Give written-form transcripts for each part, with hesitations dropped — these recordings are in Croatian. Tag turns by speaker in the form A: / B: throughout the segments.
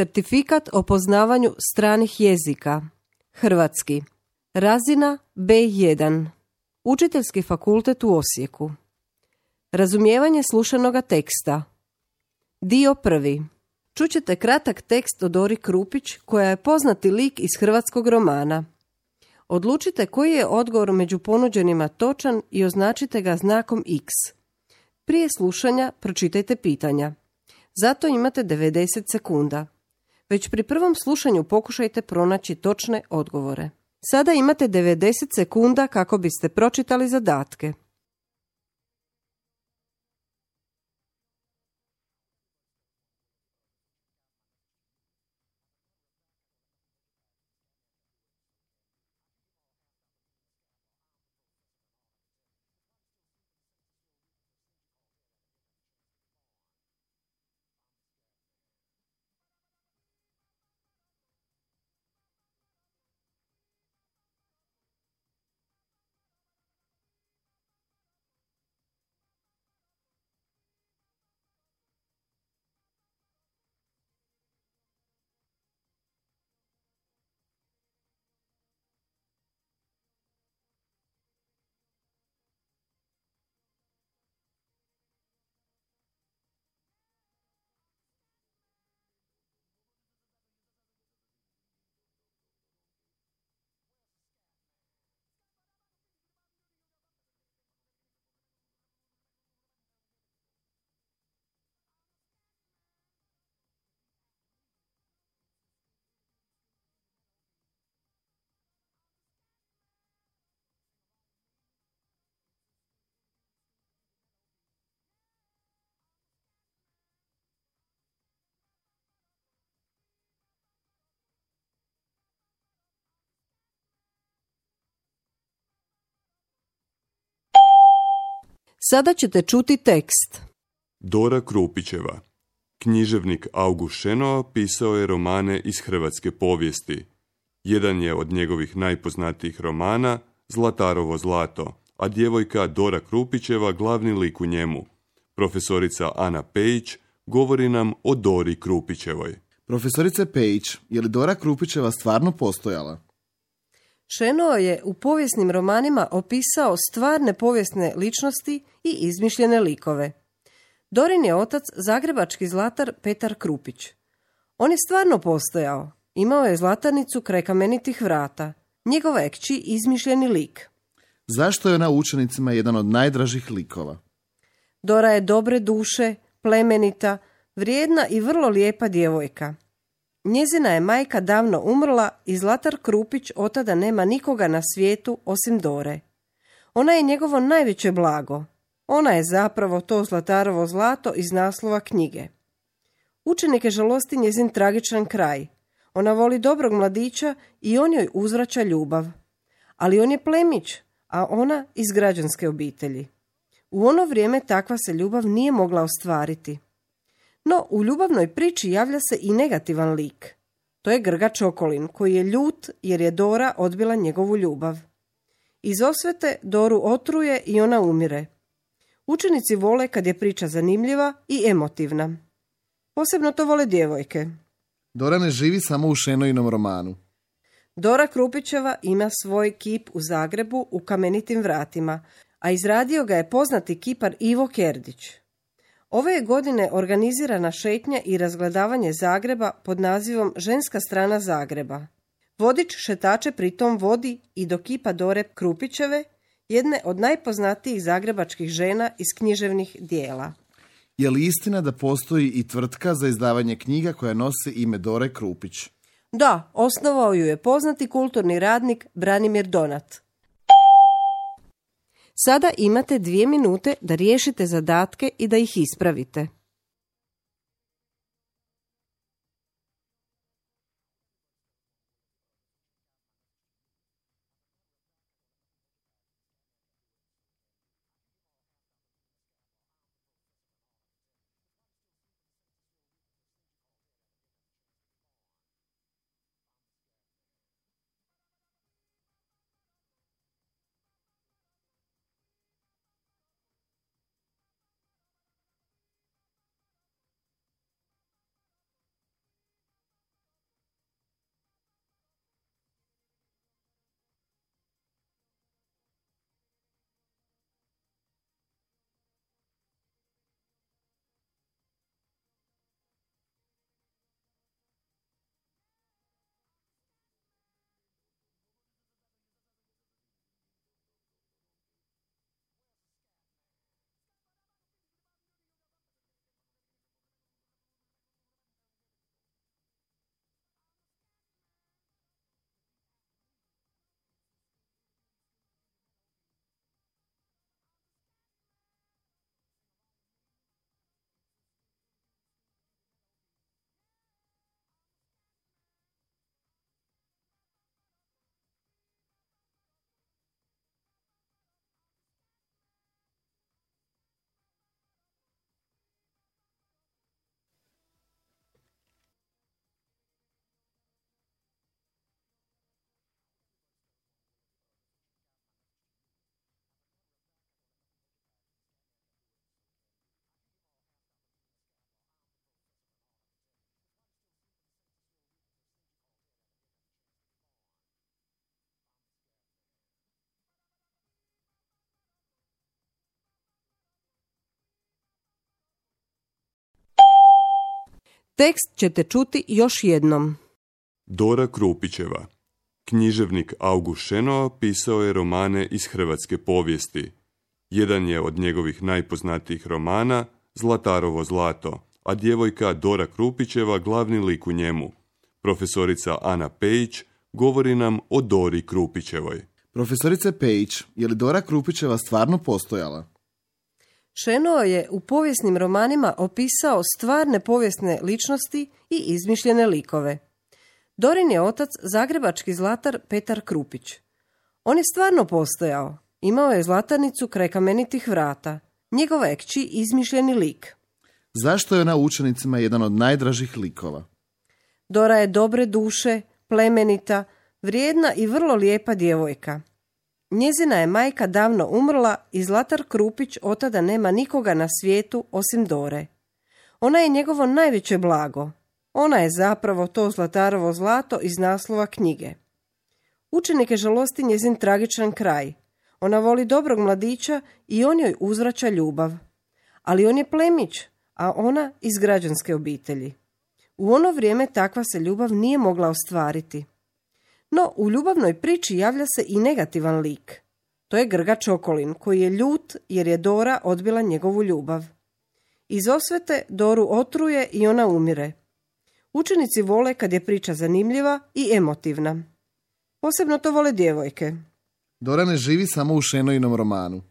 A: Certifikat o poznavanju stranih jezika. Hrvatski. Razina B1. Učiteljski fakultet u Osijeku. Razumijevanje slušanoga teksta. Dio prvi. Čućete kratak tekst o Dori Krupić, koja je poznati lik iz hrvatskog romana. Odlučite koji je odgovor među ponuđenima točan i označite ga znakom X. Prije slušanja pročitajte pitanja. Zato imate 90 sekunda. Već pri prvom slušanju pokušajte pronaći točne odgovore. Sada imate 90 sekunda kako biste pročitali zadatke. Sada ćete čuti tekst.
B: Dora Krupićeva. Književnik August Šenoa pisao je romane iz hrvatske povijesti. Jedan je od njegovih najpoznatijih romana Zlatarovo zlato, a djevojka Dora Krupićeva glavni lik u njemu. Profesorica Ana Pejić govori nam o Dori Krupićevoj.
C: Profesorice Pejić, je li Dora Krupićeva stvarno postojala?
A: Šenoa je u povijesnim romanima opisao stvarne povijesne ličnosti i izmišljene likove. Dorin je otac zagrebački zlatar Petar Krupić. On je stvarno postojao. Imao je zlatarnicu kraj kamenitih vrata. Njegova je kći izmišljeni lik.
C: Zašto je ona učenicima jedan od najdražih likova?
A: Dora je dobre duše, plemenita, vrijedna i vrlo lijepa djevojka. Njezina je majka davno umrla i Zlatar Krupić otada nema nikoga na svijetu osim Dore. Ona je njegovo najveće blago. Ona je zapravo to Zlatarovo zlato iz naslova knjige. Učenike žalosti njezin tragičan kraj. Ona voli dobrog mladića i on joj uzvraća ljubav. Ali on je plemić, a ona iz građanske obitelji. U ono vrijeme takva se ljubav nije mogla ostvariti. No, u ljubavnoj priči javlja se i negativan lik. To je Grgač Okolin, koji je ljut jer je Dora odbila njegovu ljubav. Iz osvete Doru otruje i ona umire. Učenici vole kad je priča zanimljiva i emotivna. Posebno to vole djevojke.
C: Dora ne živi samo u Šenoinom romanu.
A: Dora Krupićeva ima svoj kip u Zagrebu u kamenitim vratima, a izradio ga je poznati kipar Ivo Kerdić. Ove je godine organizirana šetnja i razgledavanje Zagreba pod nazivom Ženska strana Zagreba. Vodič šetače pritom vodi i do kipa Dore Krupićeve, jedne od najpoznatijih zagrebačkih žena iz književnih dijela.
C: Je li istina da postoji i tvrtka za izdavanje knjiga koja nosi ime Dore Krupić?
A: Da, osnovao ju je poznati kulturni radnik Branimir Donat. Sada imate 2 minute da riješite zadatke i da ih ispravite. Tekst ćete čuti još jednom.
B: Dora Krupićeva. Književnik August Šenoa pisao je romane iz hrvatske povijesti. Jedan je od njegovih najpoznatijih romana Zlatarovo zlato, a djevojka Dora Krupićeva glavni lik u njemu. Profesorica Ana Pejić govori nam o Dori Krupićevoj.
C: Profesorice Pejić, je li Dora Krupićeva stvarno postojala?
A: Šenoa je u povijesnim romanima opisao stvarne povijesne ličnosti i izmišljene likove. Dorin je otac zagrebački zlatar Petar Krupić. On je stvarno postojao. Imao je zlatarnicu kraj kamenitih vrata. Njegova je kći izmišljeni lik.
C: Zašto je ona učenicima jedan od najdražih likova?
A: Dora je dobre duše, plemenita, vrijedna i vrlo lijepa djevojka. Njezina je majka davno umrla i Zlatar Krupić otada nema nikoga na svijetu osim Dore. Ona je njegovo najveće blago. Ona je zapravo to Zlatarovo zlato iz naslova knjige. Učenike žalosti njezin tragičan kraj. Ona voli dobrog mladića i on joj uzvraća ljubav. Ali on je plemić, a ona iz građanske obitelji. U ono vrijeme takva se ljubav nije mogla ostvariti. No, u ljubavnoj priči javlja se i negativan lik. To je Grga Čokolin, koji je ljut jer je Dora odbila njegovu ljubav. Iz osvete Doru otruje i ona umire. Učenici vole kad je priča zanimljiva i emotivna. Posebno to vole djevojke.
C: Dora ne živi samo u Šenoinom romanu.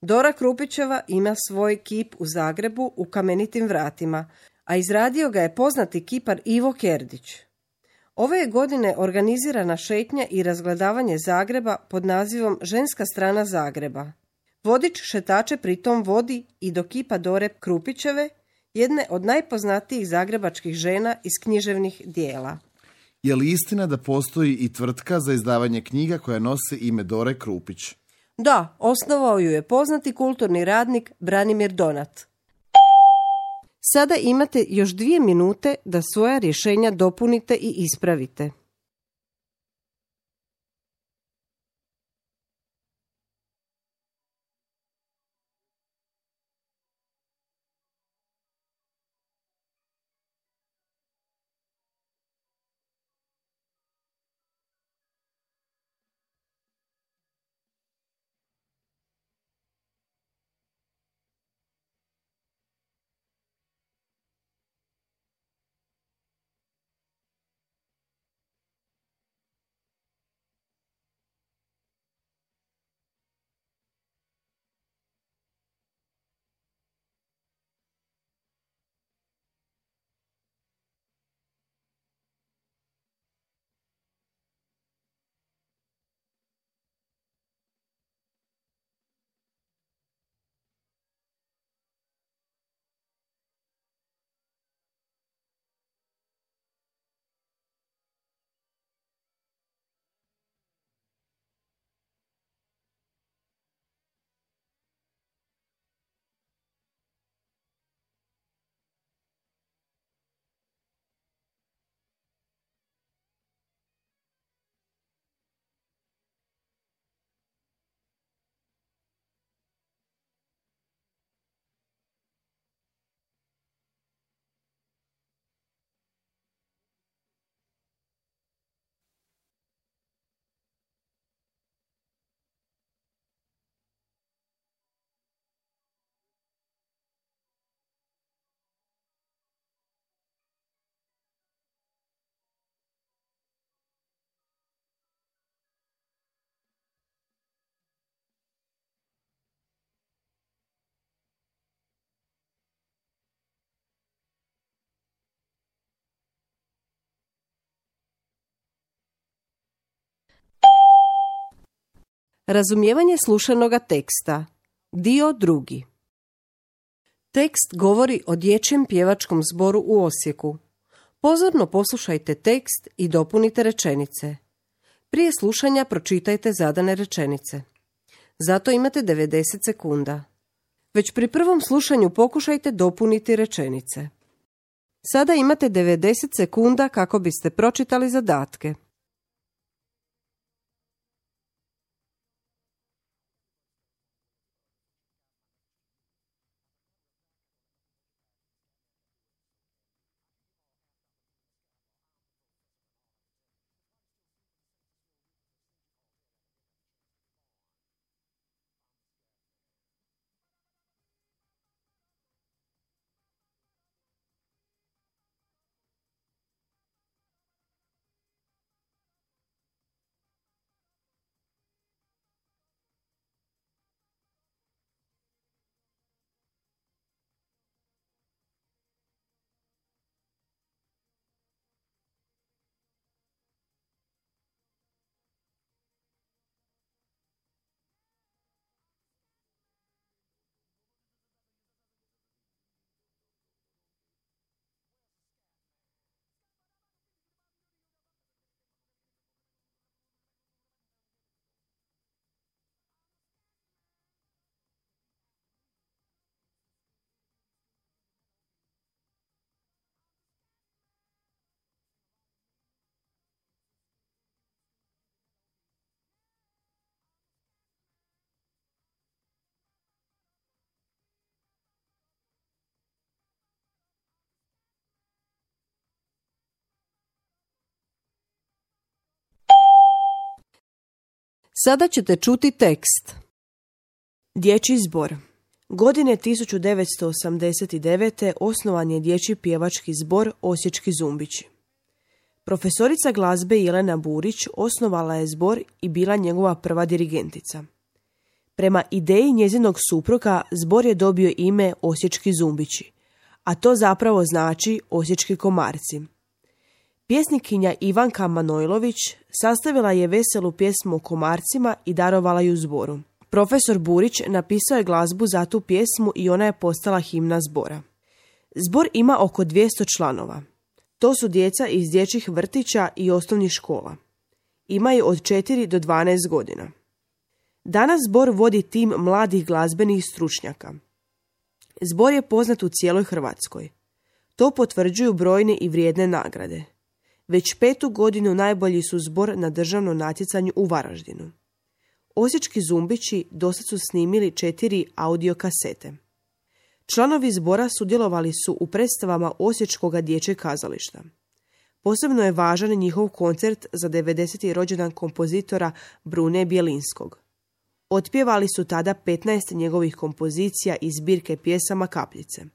A: Dora Krupićeva ima svoj kip u Zagrebu u kamenitim vratima, a izradio ga je poznati kipar Ivo Kerdić. Ove je godine organizirana šetnja i razgledavanje Zagreba pod nazivom Ženska strana Zagreba. Vodič šetače pritom vodi i do kipa Dore Krupićeve, jedne od najpoznatijih zagrebačkih žena iz književnih dijela.
C: Je li istina da postoji i tvrtka za izdavanje knjiga koja nosi ime Dore Krupić?
A: Da, osnovao ju je poznati kulturni radnik Branimir Donat. Sada imate još 2 minute da svoja rješenja dopunite i ispravite. Razumijevanje slušanoga teksta. Dio 2. Tekst govori o dječjem pjevačkom zboru u Osijeku. Pozorno poslušajte tekst i dopunite rečenice. Prije slušanja pročitajte zadane rečenice. Zato imate 90 sekunda. Već pri prvom slušanju pokušajte dopuniti rečenice. Sada imate 90 sekunda kako biste pročitali zadatke. Sada ćete čuti tekst.
D: Dječji zbor. Godine 1989. osnovan je dječji pjevački zbor Osječki zumbići. Profesorica glazbe Jelena Burić osnovala je zbor i bila njegova prva dirigentica. Prema ideji njezinog supruga zbor je dobio ime Osječki zumbići, a to zapravo znači Osječki komarci. Pjesnikinja Ivanka Manojlović sastavila je veselu pjesmu o komarcima i darovala ju zboru. Profesor Burić napisao je glazbu za tu pjesmu i ona je postala himna zbora. Zbor ima oko 200 članova. To su djeca iz dječjih vrtića i osnovnih škola. Imaju od 4 do 12 godina. Danas zbor vodi tim mladih glazbenih stručnjaka. Zbor je poznat u cijeloj Hrvatskoj. To potvrđuju brojne i vrijedne nagrade. Već 5. godinu najbolji su zbor na državnom natjecanju u Varaždinu. Osječki zumbići dosad su snimili 4 audio kasete. Članovi zbora sudjelovali su u predstavama Osječkoga dječjeg kazališta. Posebno je važan njihov koncert za 90. rođendan kompozitora Brune Bjelinskog. Otpjevali su tada 15 njegovih kompozicija iz zbirke pjesama Kapljice.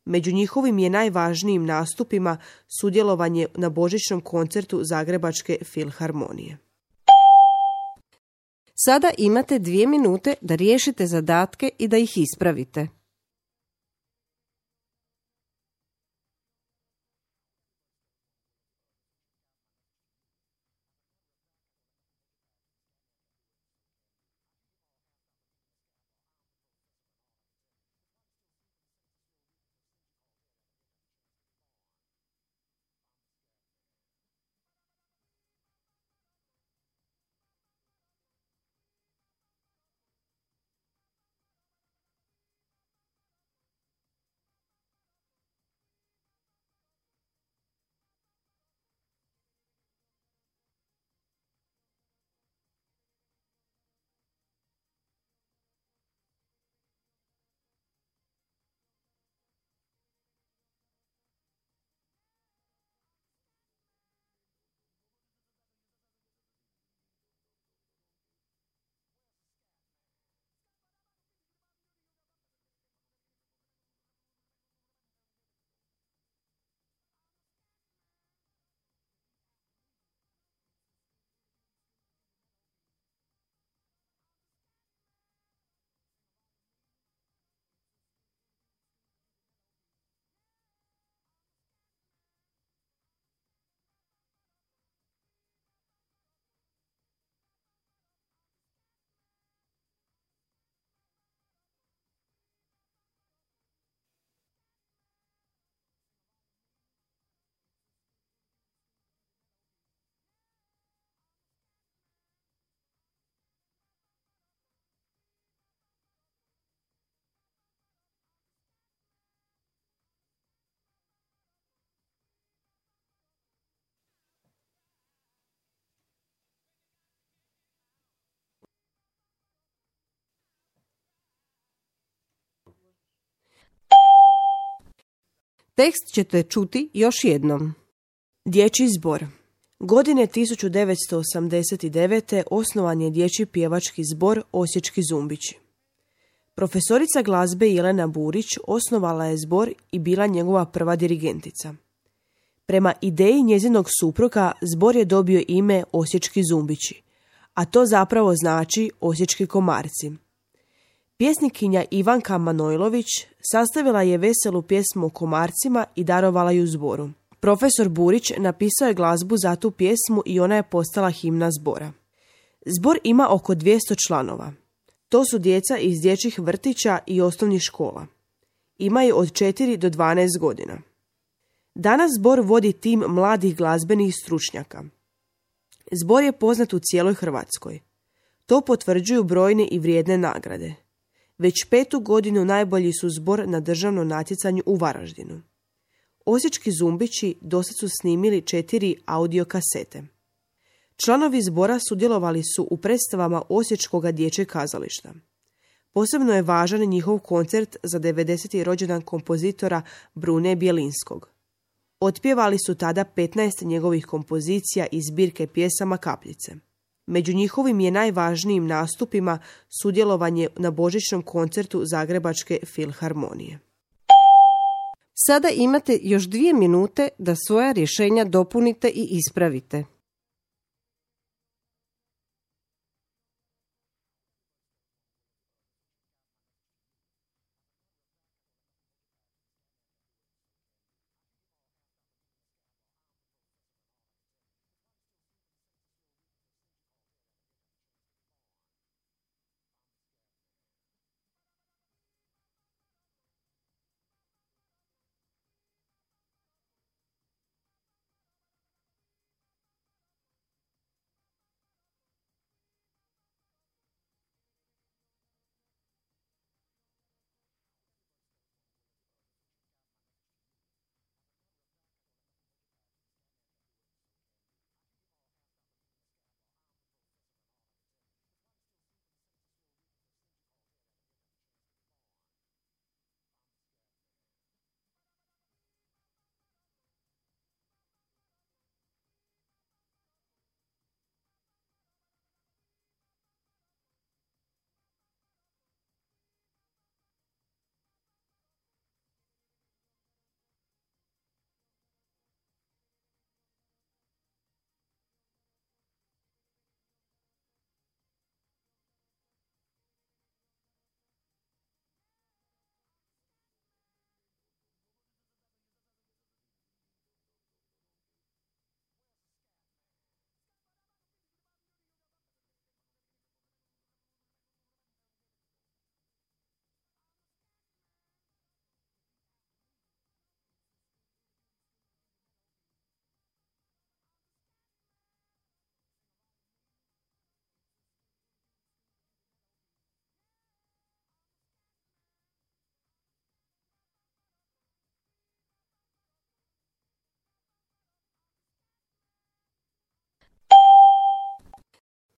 D: Među njihovim je najvažnijim nastupima sudjelovanje na božićnom koncertu Zagrebačke filharmonije.
A: Sada imate 2 minute da riješite zadatke i da ih ispravite. Tekst ćete čuti još jednom.
D: Dječji zbor. Godine 1989. osnovan je dječji pjevački zbor Osječki zumbići. Profesorica glazbe Jelena Burić osnovala je zbor i bila njegova prva dirigentica. Prema ideji njezinog supruga zbor je dobio ime Osječki zumbići, a to zapravo znači Osječki komarci. Pjesnikinja Ivanka Manojlović sastavila je veselu pjesmu o komarcima i darovala ju zboru. Profesor Burić napisao je glazbu za tu pjesmu i ona je postala himna zbora. Zbor ima oko 200 članova. To su djeca iz dječjih vrtića i osnovnih škola. Imaju od 4 do 12 godina. Danas zbor vodi tim mladih glazbenih stručnjaka. Zbor je poznat u cijeloj Hrvatskoj. To potvrđuju brojne i vrijedne nagrade. Već 5. godinu najbolji su zbor na državnom natjecanju u Varaždinu. Osječki zumbići dosad su snimili 4 audio kasete. Članovi zbora sudjelovali su u predstavama Osječkoga dječjeg kazališta. Posebno je važan njihov koncert za 90. rođendan kompozitora Brune Bjelinskog. Otpjevali su tada 15 njegovih kompozicija iz zbirke pjesama Kapljice. Među njihovim je najvažnijim nastupima sudjelovanje na božićnom koncertu Zagrebačke filharmonije.
A: Sada imate još 2 minute da svoja rješenja dopunite i ispravite.